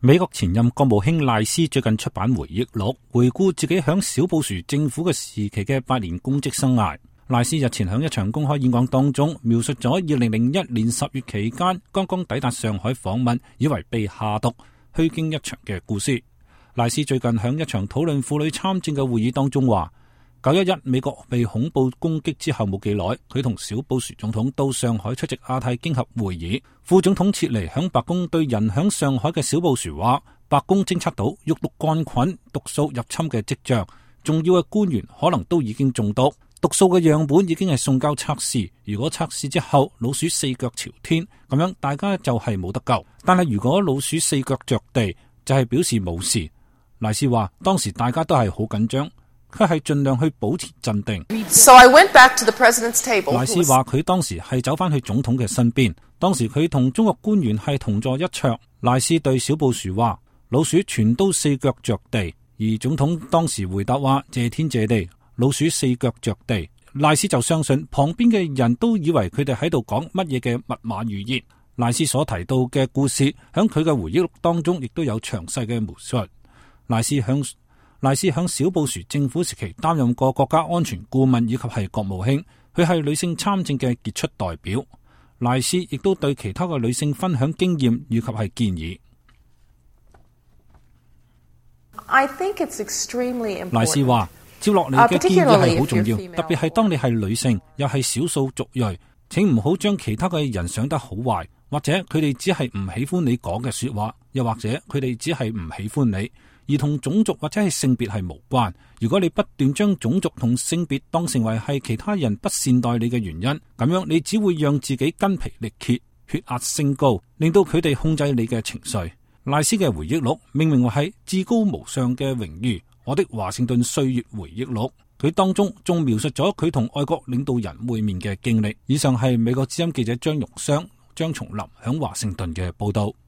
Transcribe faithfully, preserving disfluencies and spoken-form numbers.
美國前任國務卿賴斯最近出版回憶錄，回顧自己響小布殊政府嘅時期嘅八年公職生涯。賴斯日前響一場公開演講當中，描述咗二零零一年十月期間剛剛抵達上海訪問，以為被下毒虛驚一場嘅故事。賴斯最近響一場討論婦女參政嘅會議當中話，九一一美國被恐怖攻擊之後冇幾耐，佢同小布殊總統到上海出席亞太經合會議。副總統切尼響白宮對人響上海嘅小布殊話，白宮偵測到肉毒桿菌毒素入侵嘅跡象，重要嘅官員可能都已經中毒，毒素嘅樣本已經係送交測試。如果測試之後老鼠四腳朝天，咁樣大家就係冇得救。但係如果老鼠四腳着地，就係表示冇事。賴斯話當時大家都係好緊張，佢係盡量去保持鎮定。So I went back to the president's table. 賴斯話佢當時係走翻去總統嘅身邊，當時佢同中國官員係同坐一桌。賴斯對小布殊話，老鼠全都四腳着地，而總統當時回答話，謝天謝地，老鼠四腳着地。賴斯就相信旁邊嘅人都以為佢哋喺度講乜嘢嘅密碼語言。賴斯所提到嘅故事響佢嘅回憶錄當中亦都有詳細嘅描述。賴斯響賴斯響小布殊政府時期擔任過國家安全顧問以及係國務卿，佢係女性參政嘅傑出代表。賴斯亦都對其他嘅女性分享經驗以及係建議。I think it's extremely important. 賴斯話，接落嚟嘅建議係好重要，特別係當你係女性又係少數族裔，請唔好將其他嘅人想得好壞，或者佢哋只係唔喜歡你講嘅說話，又或者佢哋只係唔喜歡你，而同種族或者係性別係無關。如果你不斷將種族同性別當成為係其他人不善待你嘅原因，咁樣你只會讓自己筋疲力竭，血壓升高，令到佢哋控制你嘅情緒。賴斯嘅回憶錄命名為係至高無上嘅榮譽，我的華盛頓歲月回憶錄。佢當中仲描述咗佢同外國領導人會面嘅經歷。以上係美國之音記者張玉雙、張松林響華盛頓嘅報道。